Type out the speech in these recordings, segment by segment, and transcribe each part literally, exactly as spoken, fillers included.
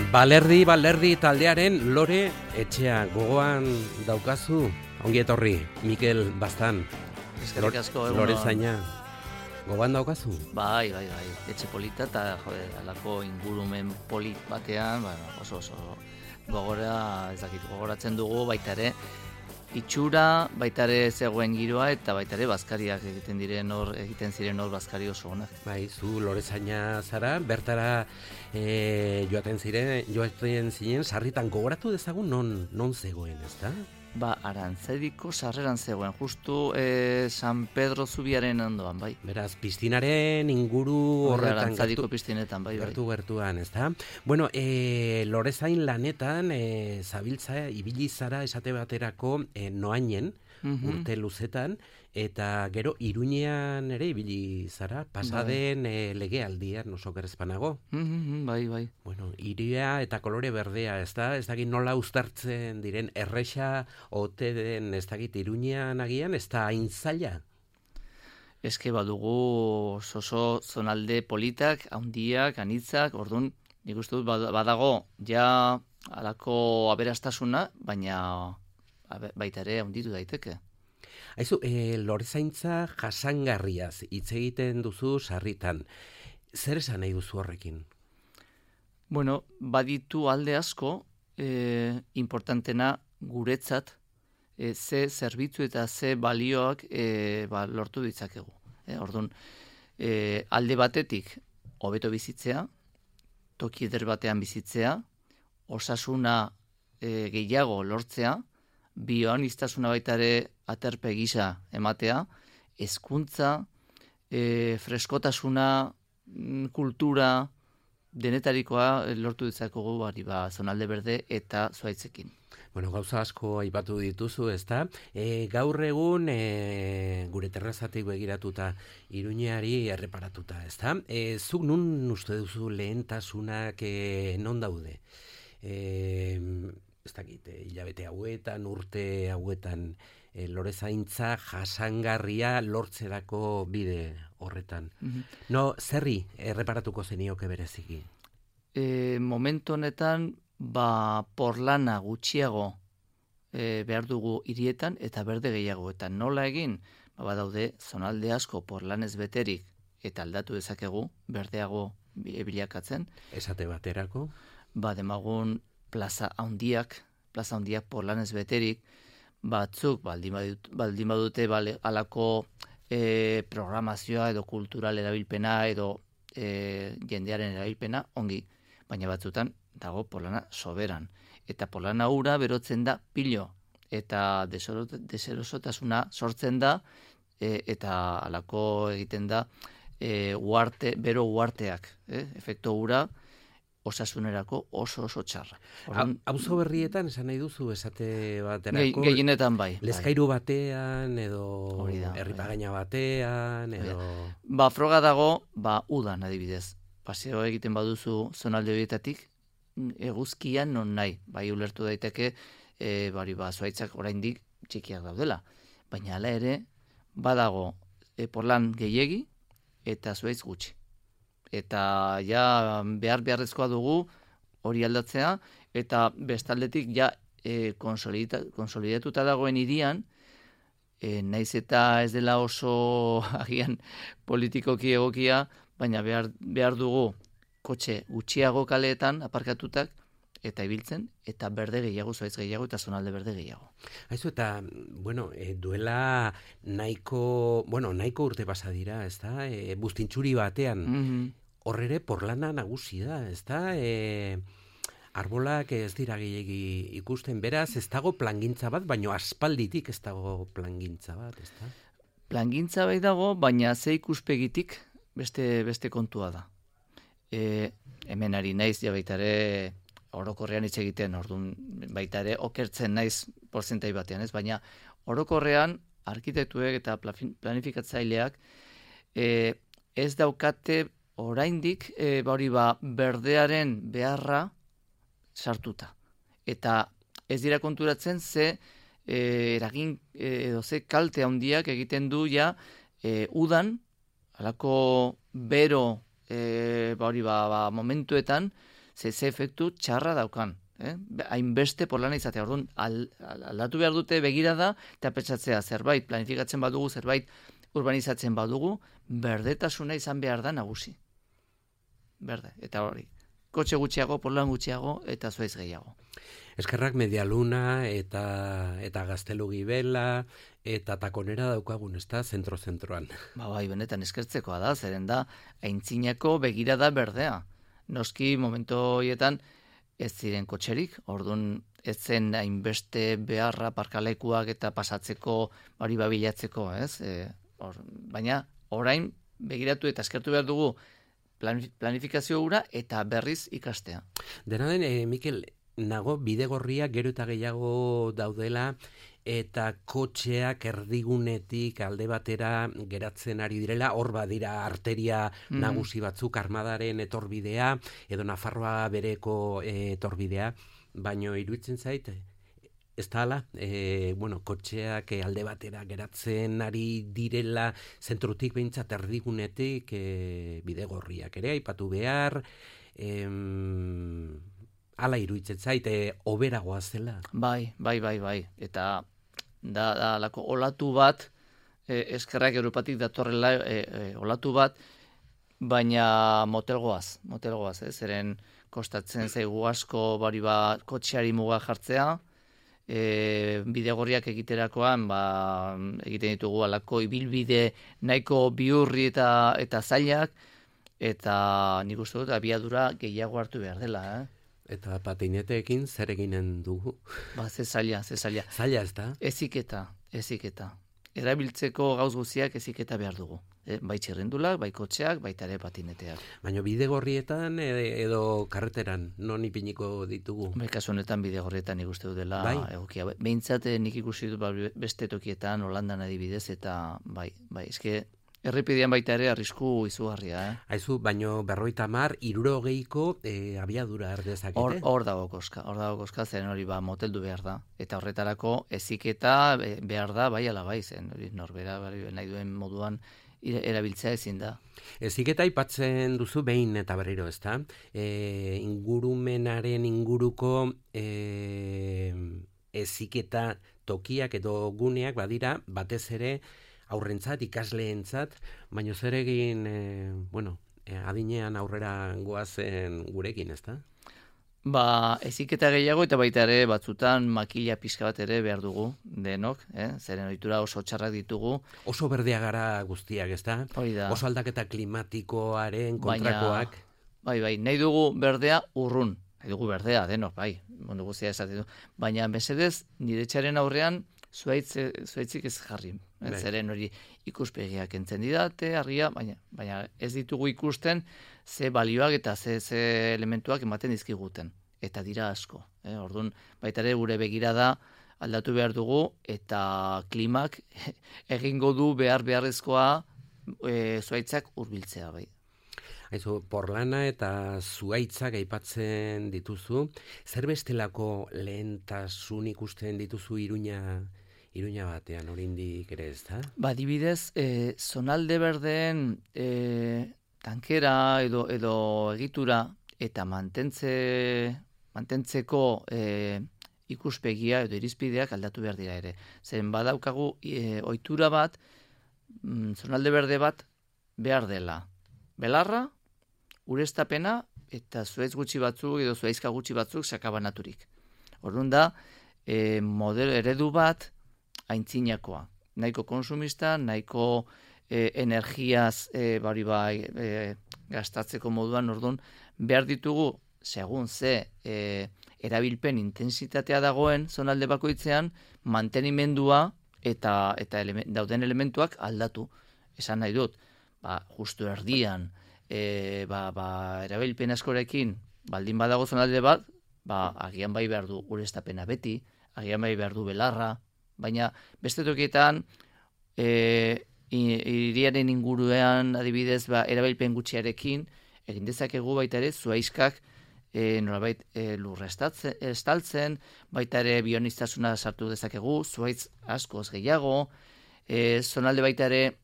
Balerdi, balerdi taldearen Lore Etxea gogoan daukazu, ongi etorri, Mikel Baztan. Eskerrik asko, egun Lore Zaina, gogoan daukazu? Bai, bai, bai, etxe polita eta jode, alako ingurumen polit batean, bueno, oso oso gogora, ez dakit, gogoratzen dugu baita ere, itxura, baita ere zegoen giroa eta baita ere bazkariak egiten diren hor, egiten ziren hor bazkari oso onak. Bai, zu Lore Zaina zara, bertara e, joaten ziren, joaten zinen, sarritan gogoratu dezagun non, non zegoen, ezta? Ba, Arantzadiko sarreran zegoen, justu eh, San Pedro Zubiaren ondoan, bai. Beraz, piztinaren inguru horretan. Arantzadiko piztinetan, bai, bai. Gertu gertuan, ezta? Bueno, e, Lorezain lanetan, e, zabiltza, ibili zara esate baterako e, noainen, mm-hmm. urte luzetan, eta gero Iruñean ere ibili zara, pasaden bai. e, legealdian oso gerezpanago. Mm-hmm, bai, bai. Bueno, iria eta kolore berdea, ez da? Ez dakit nola uztartzen diren erresa ote den, ez dakit Iruñean agian, ez da hain zaila? Eske badugu oso zonalde politak, handiak, anitzak, orduan, nik uste dut badago ja halako aberastasuna, baina baita ere handitu daiteke. Aizu, e, Lorezaintza jasangarriaz hitz egiten duzu sarritan. Zer esan nahi duzu horrekin? Bueno, baditu alde asko, e, importantena guretzat, e, ze zerbitzu eta ze balioak e, ba, lortu ditzakegu. E, orduan, e, alde batetik, hobeto bizitzea, toki eder batean bizitzea, osasuna e, gehiago lortzea, bioaniztasuna baita ere aterpe gisa ematea, hezkuntza, e, freskotasuna, kultura, denetarikoa lortu ditzakogu bari ba zonalde berde eta zuaitzekin. Bueno, gauza asko aipatu dituzu, ezta? E, gaur egun e, gure terrazatik begiratuta Iruñeari erreparatuta, ezta? E, zuk nun uste duzu lehentasunak e, non daude? E, ez dakit, hilabete hauetan, urte hauetan, e, Lorezaintza jasangarria lortzerako bide horretan. Mm-hmm. No, zerri erreparatuko zenioke bereziki? E, momentu honetan, ba, porlana gutxiago e, behar dugu hirietan eta berde gehiago. Eta nola egin? Ba, badaude, zonalde asko porlanez beterik eta aldatu dezakegu, berdeago bilakatzen. Esate baterako? Ba, demagun plaza handiak, plaza handiak porlanez beterik, batzuk baldin badute, baldin badute bale, alako e, programazioa edo kultural erabilpena edo e, jendearen erabilpena ongi, baina batzutan dago porlana soberan. Eta porlana ura berotzen da pilo, eta deserosotasuna sortzen da, e, eta alako egiten da e, uarte, bero uarteak, eh? Efekto ura, osasunerako oso oso txarra. Auzo berrietan esan nahi duzu esate baterako? Gehienetan bai. Lezkairu batean edo Herripagaina batean edo... Ba, froga dago, ba, udan adibidez. Paseo egiten baduzu zonalde horietatik, eguzkian non nahi. Bai, ulertu daiteke, e, bari ba, zuaitzak oraindik txikiak daudela. Baina hala ere, badago e, porlan gehiegi eta zuaitz gutxi. Eta ja behar beharrezkoa dugu hori aldatzea, eta bestaldetik ja e, konsolidatuta dagoen hirian, e, naiz eta ez dela oso agian politikoki egokia, baina behar, behar dugu kotxe gutxiago kaleetan aparkatutak, eta ibiltzen, eta berde gehiago, zuaitz gehiago, eta zonalde berde gehiago. Haizu, eta, bueno, e, duela nahiko, bueno, nahiko urte pasa dira, ez da, e, buztintxuri batean, mm-hmm. horrere porlana nagusi da, ez da, e, arbolak ez dira gehiagi ikusten, beraz, ez dago plangintza bat, baina aspalditik ez dago plangintza bat, ez da? Plangintza bai dago, baina ze ikuspegitik beste, beste kontua da. E, hemen ari naiz, ja baitare, orokorrean hitz egiten, orduan baita ere okertzen naiz porzentai batean, ez? Baina orokorrean arkitektuek eta planifikatzaileak e, ez daukate oraindik e, hori ba berdearen beharra sartuta. Eta ez dira konturatzen ze e, eragin e, edo ze kalte handiak egiten du ja e, udan halako bero e, hori ba, ba momentuetan ze ze efektu txarra daukan. Eh? Hainbeste porlana izatea. Orduan, al, aldatu behar dute begirada eta pentsatzea zerbait, planifikatzen badugu, zerbait urbanizatzen badugu, berdetasuna izan behar da nagusi. Berde, eta hori. Kotxe gutxiago, porlan gutxiago, eta zuaiz gehiago. Eskerrak Medialuna eta eta Gaztelu Gibela eta Takonera daukagun, ezta, zentro-zentroan. Ba, bai, benetan eskertzekoa da, zeren da, aintzinako begirada berdea. Noski, momentu horietan, ez ziren kotxerik, orduan ez zen hainbeste beharra parkalekuak eta pasatzeko hori babilatzeko, ez? E, or, baina orain begiratu eta eskertu behar dugu planifikazio hura eta berriz ikastea. Dena den, e, Mikel, nago bidegorriak gero eta gehiago daudela eta kotxeak erdigunetik alde batera geratzen ari direla, hor badira arteria mm. nagusi batzuk, Armadaren etorbidea, edo Nafarroa bereko e, etorbidea, baino iruditzen zait, ez da ala, e, bueno, kotxeak alde batera geratzen ari direla, zentrutik behintzat erdigunetik e, bidegorriak ere, aipatu behar, em, ala iruditzen zait, e, oberagoa zela. Bai, bai, bai, bai, eta da, da lako olatu bat, e, eskerrak Europatik datorrela e, e, olatu bat, baina motelgoaz, motelgoaz, ez, zeren kostatzen zaigu asko bari bat kotxeari muga jartzea, e, bidegorriak egiterakoan, ba, egiten ditugu alako ibilbide nahiko bihurri eta, eta zailak, eta nik uste dut abiadura gehiago hartu behar dela, eh? Eta patineteekin zer eginen dugu? Ba, ze zaila, ze zaila. Zaila ez da? Eziketa, eziketa. Erabiltzeko gauz guztiak eziketa behar dugu. E, bai txirrindulak, bai kotxeak, baita ere patineteak. Baina bidegorrietan edo karreteran, non ipiniko ditugu? Bai, kasu honetan bidegorrietan ikuste du dela bai? egokia. Behintzat nik ikusi dut beste tokietan, Holandan adibidez, eta bai, bai, eske errepidean baita ere arrisku izugarria, eh? Aizu, baino berroita mar, irurogeiko e, abiadura erdezakete? Hor, hor dago koska, hor dago koska, zeren hori ba moteldu behar da. Eta horretarako eziketa behar da, bai ala bai, zen hori norbera bai, nahi duen moduan erabiltzea ezin da. Eziketa aipatzen duzu behin eta berriro, ezta? E, ingurumenaren inguruko e, eziketa tokiak edo guneak badira, batez ere, aurrentzat, ikasleentzat, baino zer egin, e, bueno, e, adinean aurrera goazen gurekin, ezta? Ba, eziketa gehiago eta baita ere batzutan makila pixka bat ere behar dugu denok, eh? Zeren ohitura oso txarrak ditugu. Oso berdea gara guztiak, ezta? Hori da. Oso aldaketa klimatikoaren kontrakoak. Baina, bai, bai, nahi dugu berdea urrun. Nahi dugu berdea denok, bai, mundu guztia esaten du. Baina, mesedez, nire txaren aurrean, zuaitz, zuaitzik ez jarri. Bai. Zeren hori ikuspegiak entzen didate, argia, baina, baina ez ditugu ikusten ze balioak eta ze, ze elementuak ematen dizkiguten. Eta dira asko. Eh? Orduan, baita ere gure begirada aldatu behar dugu eta klimak egingo du behar beharrezkoa e, zuaitzak hurbiltzea bai. Aizu, porlana eta zuaitzak aipatzen dituzu, zer bestelako lehentasun ikusten dituzu Iruña Iruña batean, oraindik ere ez da? Ba, adibidez, e, zonalde berdeen e, tankera edo, edo egitura eta mantentze, mantentzeko e, ikuspegia edo irizpideak aldatu behar dira ere. Zen badaukagu e, ohitura bat, mm, zonalde berde bat behar dela. Belarra, ureztapena eta zuaitz gutxi batzuk edo zuaizka gutxi batzuk sakabanaturik. Orduan da, e, modelo eredu bat aintzinakoa. Nahiko konsumista, nahiko e, energiaz e, bari bai e, gastatzeko moduan, orduan behar ditugu, segun ze e, erabilpen intensitatea dagoen zonalde bakoitzean, mantenimendua eta, eta element, dauden elementuak aldatu. Esan nahi dut, ba, justu erdian, e, ba, ba, erabilpen askorekin, baldin badago zonalde bat, ba, agian bai behar du ureztapena beti, agian bai behar du belarra, baina beste tokietan e, iriaren inguruan adibidez ba, erabilpen gutxiarekin egin dezakegu baita ere zuaizkak e, nolabait e, lurra estaltzen, baita ere bioniztasuna sartu dezakegu, zuaitz askoz gehiago, e, zonalde baita ere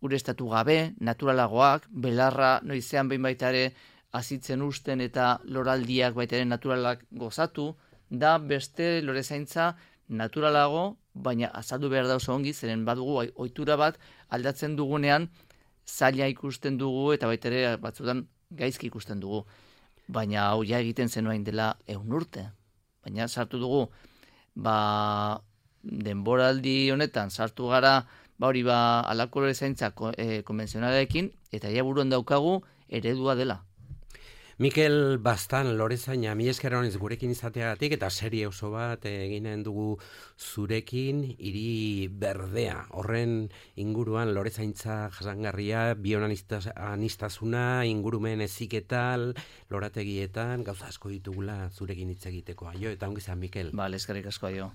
ureztatu gabe, naturalagoak, belarra noizean behin baita ere azitzen usten eta loraldiak baita ere naturalak gozatu, da beste lorezaintza naturalago, baina azaldu behar da oso ongi, zeren badugu ohitura bat aldatzen dugunean zaila ikusten dugu eta baita ere batzutan gaizki ikusten dugu. Baina hau ja egiten zenuen dela ehun urte. Baina sartu dugu, ba, denboraldi honetan sartu gara, ba hori ba alako lorezaintza e, konbentzionalarekin, eta ja buruan daukagu eredua dela. Mikel Baztan lorezaina, mi esker honez gurekin izateagatik eta serie oso bat eginen dugu zurekin, hiri berdea. Horren inguruan lorezaintza jasangarria, bionanistazuna, ingurumen heziketan, lorategietan, gauza asko ditugula zurekin hitz egiteko. Aio, eta ongi zan, Mikel. Bale, eskerrik asko, aio.